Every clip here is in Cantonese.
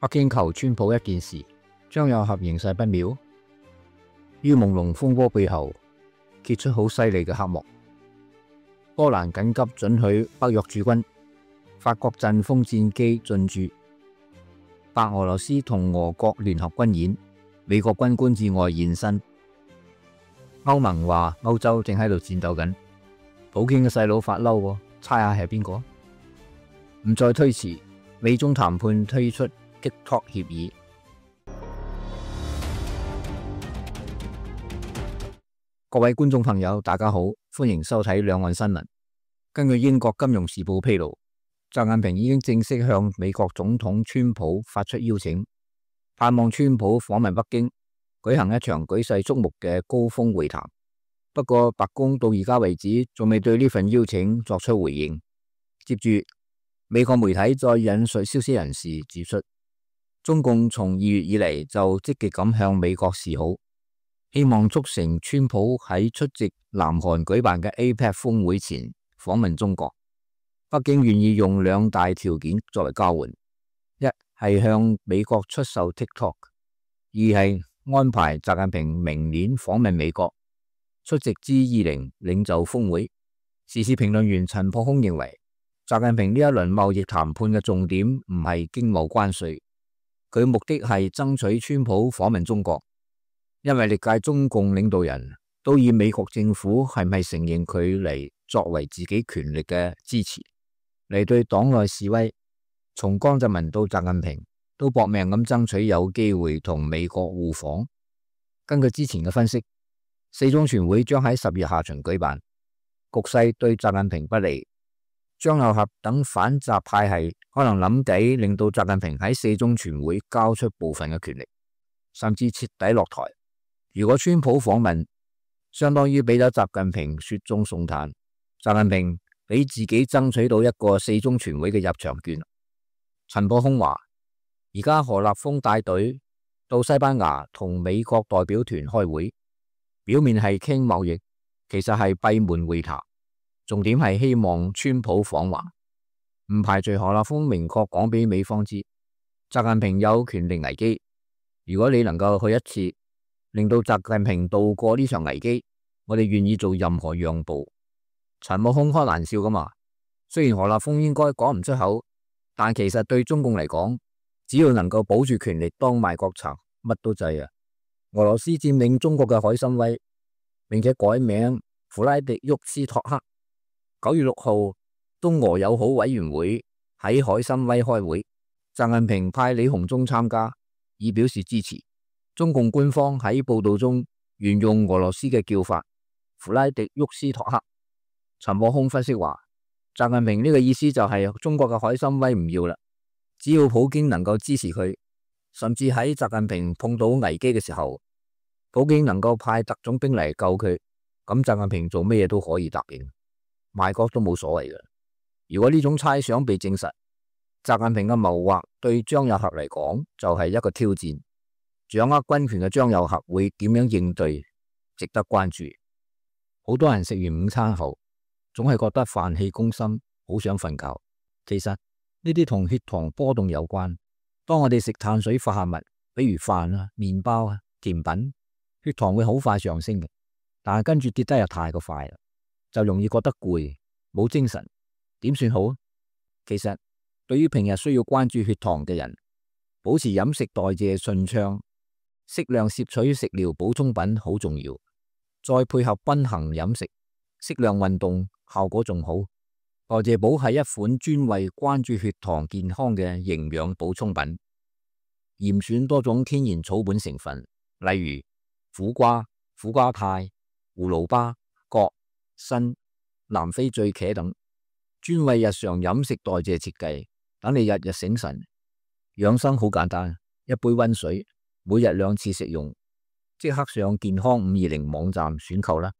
北京求川普一件事，張又俠形勢不妙。于朦朧風波背後揭出好犀利嘅黑幕。波蘭緊急准許北約駐軍，法國陣風戰機進駐，白俄羅斯同俄國聯合軍演，美國軍官至外現身。歐盟話歐洲正喺度戰鬥緊，普京嘅細佬發嬲喎，猜下係邊個？唔再推遲，美中談判推出 TikTok 協議。各位觀眾朋友，大家好，歡迎收睇兩岸新聞。根據英國金融時報披露，習近平已經正式向美國總統川普發出邀請，盼望川普訪問北京，舉行一場舉世矚目嘅高峰會談。不過白宮到而家為止仲未對呢份邀請作出回應。接住，美國媒體再引述消息人士指出，中共從2月以嚟就積極咁向美國示好，希望促成川普喺出席南韓舉辦嘅 APEC 峰會前訪問中國。北京願意用兩大條件作為交換：一係向美國出售 TikTok， 二係安排習近平明年訪問美國，出席 G20 領袖峰會。時事評論員陳破空認為，習近平呢一輪貿易談判嘅重點唔係經貿關稅，佢目的係爭取川普訪問中國。因為歷屆中共領導人都以美國政府係咪承認佢嚟作為自己權力嘅支持，嚟對黨內示威，從江澤民到習近平都搏命咁爭取有機會同美國互訪。根據之前嘅分析，四中全會將喺10月下旬舉辦，局勢對習近平不利。張又俠等反習派系可能諗計令到習近平喺四中全會交出部分嘅權力，甚至徹底落台。如果川普訪問，相當於俾咗習近平雪中送炭，習近平俾自己爭取到一個四中全會嘅入場券。陳破空話，而家何立峰帶隊到西班牙同美國代表團開會，表面係傾貿易，其實係閉門會談，重點係希望川普訪華。唔排除何立峰明確講俾美方知，習近平有權力危機，如果你能夠去一次，令到習近平渡過呢場危機，我哋願意做任何讓步。陳破空開玩笑噶嘛，雖然何立峰應該講唔出口，但其實對中共嚟講，只要能夠保住權力當賣國賊，乜都制啊。俄羅斯佔領中國嘅海參崴，並且改名弗拉迪沃斯托克。9月6號，東俄友好委員會喺海參崴開會，習近平派李鴻忠參加，以表示支持。中共官方喺報道中沿用俄羅斯嘅叫法弗拉迪沃斯托克。陳破空分析話，習近平呢個意思就係中國嘅海參崴唔要啦，只要普京能夠支持佢，甚至喺習近平碰到危機嘅時候，普京能夠派特種兵嚟救佢，咁習近平做咩嘢都可以答應，賣國都冇所謂嘅。如果呢種猜想被證實，習近平嘅謀劃對張又俠嚟講就係一個挑戰。掌握軍權嘅張又俠會點樣應對，值得關注。好多人食完午餐後，總係覺得飯氣攻心，好想瞓覺。其實呢啲同血糖波動有關。當我哋食碳水化合物，比如飯啊、麵包啊、甜品，血糖會好快上升嘅，但係跟住跌得又太過快啦，就容易覺得攰，冇精神。點算好？其實對於平日需要關注血糖嘅人，保持飲食代謝順暢，適量攝取食療補充品好重要，再配合均衡飲食、適量運動，效果仲好。代謝寶係一款專為關注血糖健康嘅營養補充品，嚴選多種天然草本成分，例如苦瓜、苦瓜肽、葫蘆巴、葛、參、南非醉茄等，專為日常飲食代謝設計，等你日日醒神。養生好簡單，一杯溫水，每日2次食用，即刻上健康520網站選購啦。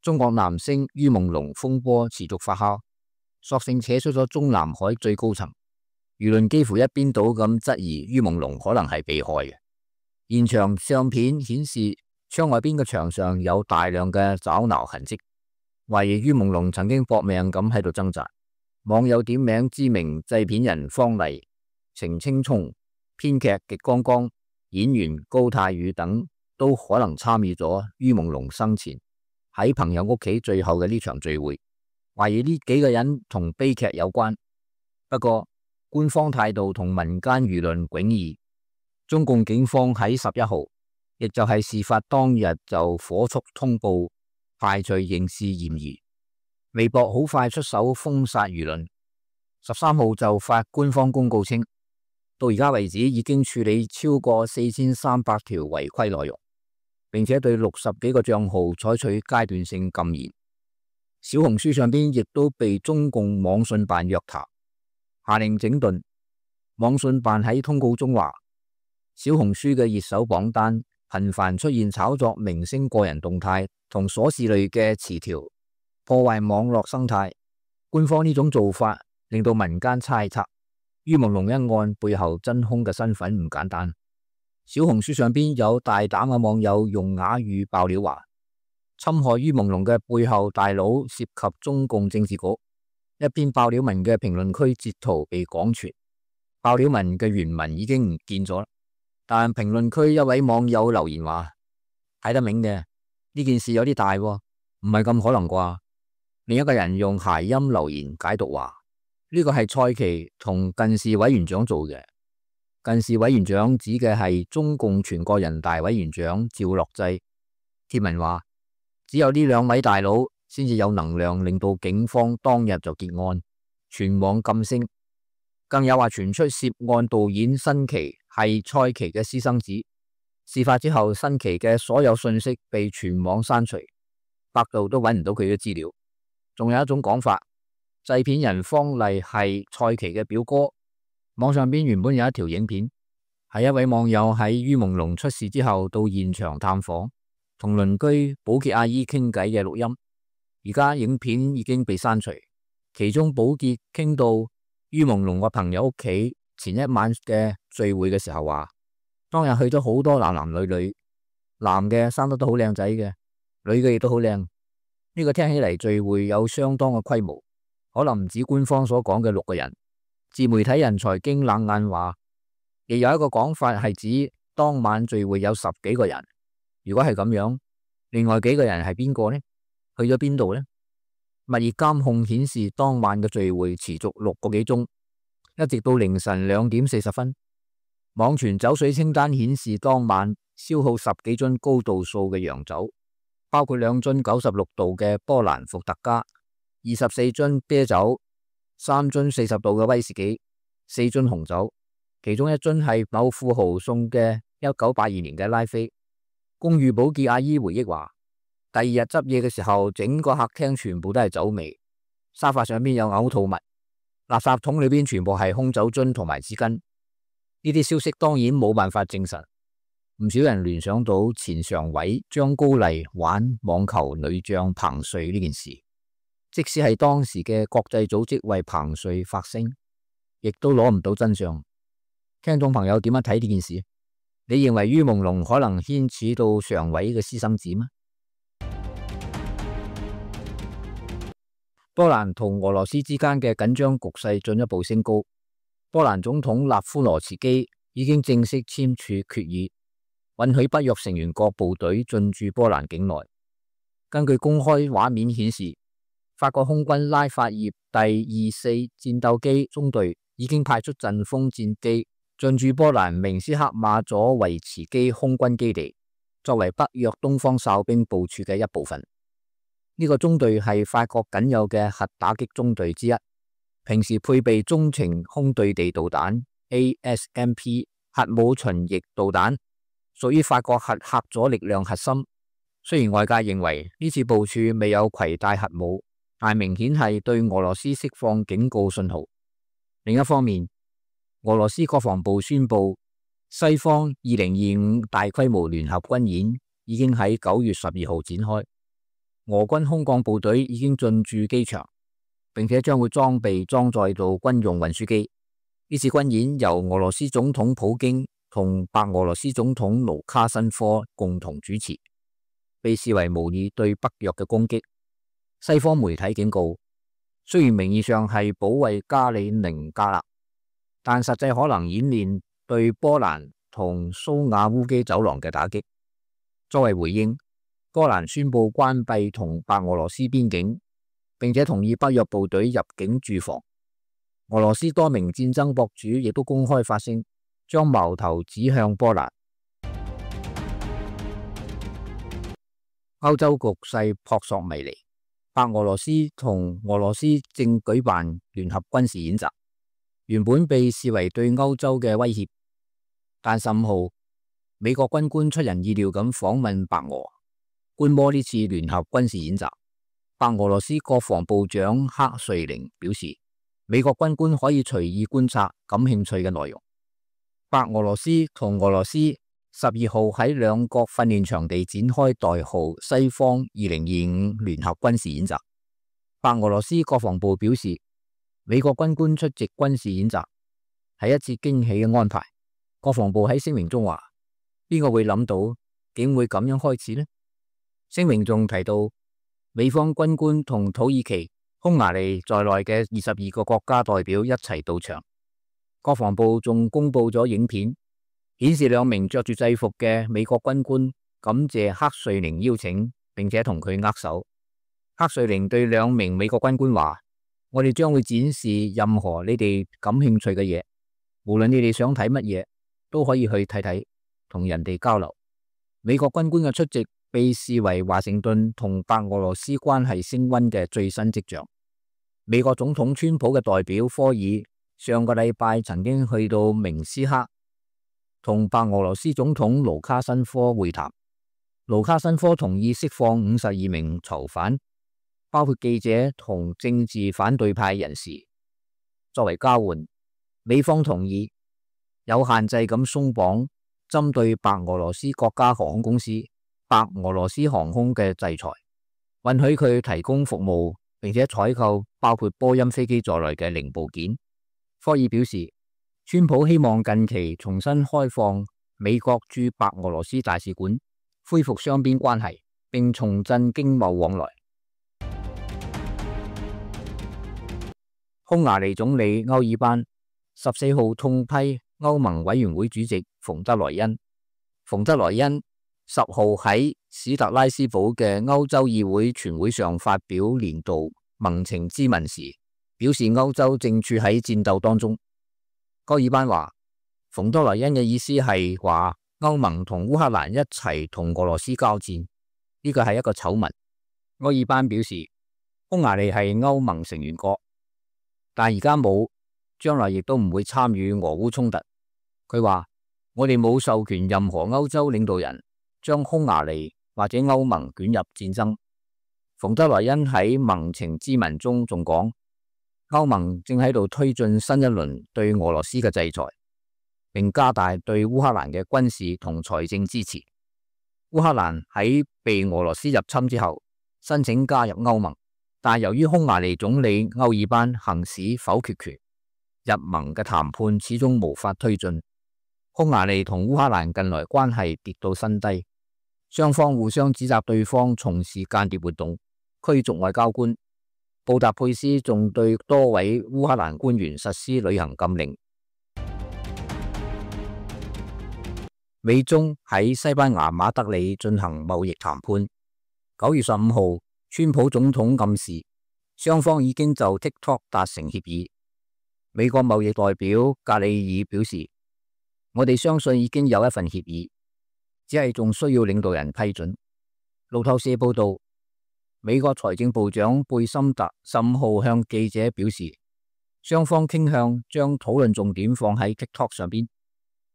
中國男星于朦朧風波持續發酵，索性扯出咗中南海最高層，輿論幾乎一邊倒咁質疑于朦朧可能係被害嘅。現場相片顯示窗外邊嘅牆上有大量嘅抓撓痕跡，懷疑于朦朧曾經搏命咁喺度掙扎。網友點名知名製片人方麗、程青松、編劇極光光、演員高泰宇等都可能參與咗于朦朧生前喺朋友屋企最後嘅呢場聚會，懷疑呢幾個人同悲劇有關。不過官方態度同民間輿論迥異，中共警方喺11號，亦就係事發當日就火速通報排除刑事嫌疑。微博好快出手封殺輿論，13號就發官方公告稱，到而家為止已經處理超過4300條違規內容，並且對60幾個賬號採取階段性禁言。小紅書上邊亦都被中共網信辦約談，下令整頓。網信辦喺通告中話，小紅書嘅熱搜榜單頻繁出現炒作明星個人動態同瑣事類嘅詞條，破壞網絡生態。官方呢種做法令到民間猜測于朦朧一案背後真兇嘅身份唔簡單。小紅書上邊有大膽嘅網友用啞語爆料話，侵害于朦朧嘅背後大佬涉及中共政治局。一篇爆料文嘅評論區截圖被廣傳，爆料文嘅原文已經唔見咗，但評論區一位網友留言話，睇得明嘅，呢件事有啲大喎，唔係咁可能啩。另一個人用諧音留言解讀話，呢個係蔡奇同近視委員長做嘅。近視委員長指嘅係中共全國人大委員長趙樂際。貼文話，只有呢兩位大佬先至有能量令到警方當日就結案，全網禁聲。更有話傳出涉案導演辛奇係蔡奇嘅私生子。事發之後，辛奇嘅所有信息被全網刪除，百度都揾唔到佢嘅資料。仲有一種講法，製片人方麗係蔡奇嘅表哥。網上邊原本有一條影片，係一位網友喺于朦朧出事之後到現場探訪，同鄰居保潔阿姨傾偈嘅錄音。而家影片已經被刪除，其中保潔傾到于朦朧個朋友屋企前一晚嘅聚會嘅時候話，當日去咗好多男男女女，男嘅生得都好靚仔嘅，女嘅亦都好靚。呢個聽起嚟聚會有相當嘅規模，可能唔止官方所講嘅6個人。自媒體人財經冷眼話，亦有一個講法係指當晚聚會有10幾個人。如果係咁樣，另外幾個人係邊個呢？去咗邊度呢？物業監控顯示當晚嘅聚會持續6個幾鐘，一直到凌晨2點40分。網傳酒水清單顯示當晚消耗10幾樽高度數嘅洋酒，包括2樽96度嘅波蘭伏特加、24樽啤酒、3樽40度嘅威士忌、4樽紅酒，其中1樽係某富豪送嘅1982年嘅拉菲。公寓保潔阿姨回憶話，第二日執嘢嘅時候，整個客廳全部都係酒味，沙發上邊有嘔吐物，垃圾桶裏邊全部係空酒樽同埋紙巾。呢啲消息當然冇辦法證實，唔少人聯想到前常委張高麗玩網球女將彭帥呢件事。即使係當時嘅國際組織為彭帥發聲，亦都攞唔到真相。聽眾朋友點樣睇呢件事？你認為于朦朧可能牽扯到常委嘅私生子嗎？波蘭同俄羅斯之間嘅緊張局勢進一步升高。波蘭總統納夫羅茨基已經正式簽署決議，允許北約成員國部隊進駐波蘭境內。根據公開畫面顯示，法國空軍拉法葉第24戰鬥機中隊已經派出陣風戰機進駐波蘭明斯克馬佐維茨基空軍基地，作為北約東方哨兵部署嘅一部分。呢個中隊係法國僅有嘅核打擊中隊之一，平時配備中程空對地導彈 ASMP 核武巡弋導彈，屬於法國核阻力量核心。雖然外界認為呢次部署未有攜帶核武，但明顯係對俄羅斯釋放警告信號。另一方面，俄羅斯國防部宣布，西方2025大規模聯合軍演已經喺9月12號展開。俄軍空降部隊已經進駐機場，並且將會裝載到軍用運輸機。呢次軍演由俄羅斯總統普京同白俄羅斯總統盧卡申科共同主持，被視為模擬對北約嘅攻擊。西方媒體警告，雖然名義上係保衛加里寧格勒，但實際可能演練對波蘭同蘇瓦烏基走廊嘅打擊。作為回應，波蘭宣布關閉同白俄羅斯邊境，並且同意北約部隊入境駐防。俄羅斯多名戰爭博主亦都公開發聲，將矛頭指向波蘭。歐洲局勢撲朔迷離，白俄羅斯同俄羅斯正舉辦聯合軍事演習，原本被視為對歐洲嘅威脅。但15號，美國軍官出人意料咁訪問白俄，觀摩呢次聯合軍事演習。白俄羅斯國防部長克瑞寧表示，美國軍官可以隨意觀察感興趣嘅內容。白俄羅斯同俄羅斯12號喺兩國訓練場地展開代號西方2025聯合軍事演習。白俄羅斯國防部表示，美國軍官出席軍事演習係一次驚喜嘅安排。國防部喺聲明中話，邊個會諗到竟會咁樣開始呢？聲明仲提到，美方軍官同土耳其、匈牙利在內嘅22個國家代表一齊到場。國防部仲公布咗影片，顯示兩名着住制服嘅美國軍官感謝克瑞寧邀請，並且同佢握手。克瑞寧對兩名美國軍官話，我哋將會展示任何你哋感興趣嘅嘢，無論你哋想睇乜嘢，都可以去睇睇，同人哋交流。美國軍官嘅出席被視為華盛頓同白俄羅斯關係升溫嘅最新跡象。美國總統川普嘅代表科爾上個禮拜曾經去到明斯克同白俄羅斯總統盧卡申科會談。盧卡申科同意釋放52名囚犯，包括記者同政治反對派人士。作為交換，美方同意有限制咁鬆綁針對白俄羅斯國家航空公司白俄羅斯航空嘅制裁，允許佢提供服務，並且採購包括波音飛機在內嘅零部件。科爾表示，川普希望近期重新開放美國駐白俄羅斯大使館，恢復雙邊關係，並重振經貿往來。匈牙利總理歐爾班14號痛批歐盟委員會主席馮德萊恩。馮德萊恩10號喺史特拉斯堡嘅歐洲議會全會上發表年度盟情咨文時，表示歐洲正處喺戰鬥當中。歐爾班話，馮德萊恩嘅意思係話歐盟同烏克蘭一齊同俄羅斯交戰，呢個係一個醜聞。歐爾班表示，匈牙利係歐盟成員國，但而家冇，將來亦都唔會參與俄烏衝突。佢話，我哋冇授權任何歐洲領導人將匈牙利或者歐盟捲入戰爭。馮德萊恩喺盟情咨文中仲講，歐盟正喺度推進新一輪對俄羅斯嘅制裁，並加大對烏克蘭嘅軍事同財政支持。烏克蘭喺被俄羅斯入侵之後，申請加入歐盟，但由於匈牙利總理歐爾班行使否決權，入盟嘅談判始終無法推進。匈牙利同烏克蘭近來關係跌到新低，雙方互相指責對方從事間諜活動，驅逐外交官。布達佩斯仲對多位烏克蘭官員實施旅行禁令。美中喺西班牙馬德里進行貿易談判。9月15號，川普總統暗示雙方已經就 TikTok 達成協議。美國貿易代表格里爾表示，我哋相信已經有一份協議，只係仲需要領導人批准。路透社報道，美國財政部長貝森特15號向記者表示，雙方傾向將討論重點放喺 TikTok 上邊。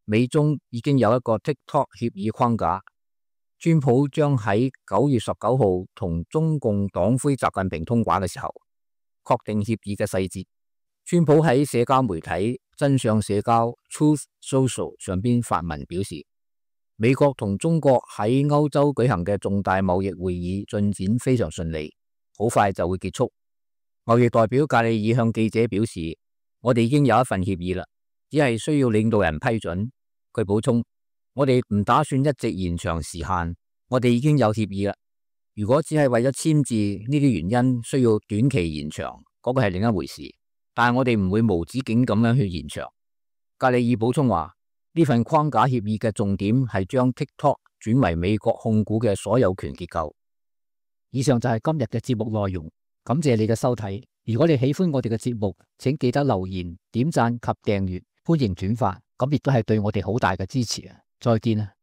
美中已經有一個 TikTok 協議框架，川普將喺9月19號同中共黨魁習近平通話嘅時候，確定協議嘅細節。川普喺社交媒體真相社交 Truth Social 上邊發文表示，美國同中國喺歐洲舉行嘅重大貿易會議進展非常順利，好快就會結束。貿易代表格里爾向記者表示，我哋已經有一份協議啦，只係需要領導人批准。佢補充，我哋唔打算一直延長時限，我哋已經有協議啦。如果只係為咗簽字呢啲原因需要短期延長，嗰個係另一回事。但係我哋唔會無止境咁樣去延長。格里爾補充話，呢份框架協議嘅重點係將 TikTok 轉為美國控股嘅所有權結構。以上就係今日嘅節目內容，感謝你嘅收睇。如果你喜歡我哋嘅節目，請記得留言、點讚及訂閱，歡迎轉發，咁亦都係對我哋好大嘅支持啊！再見啊！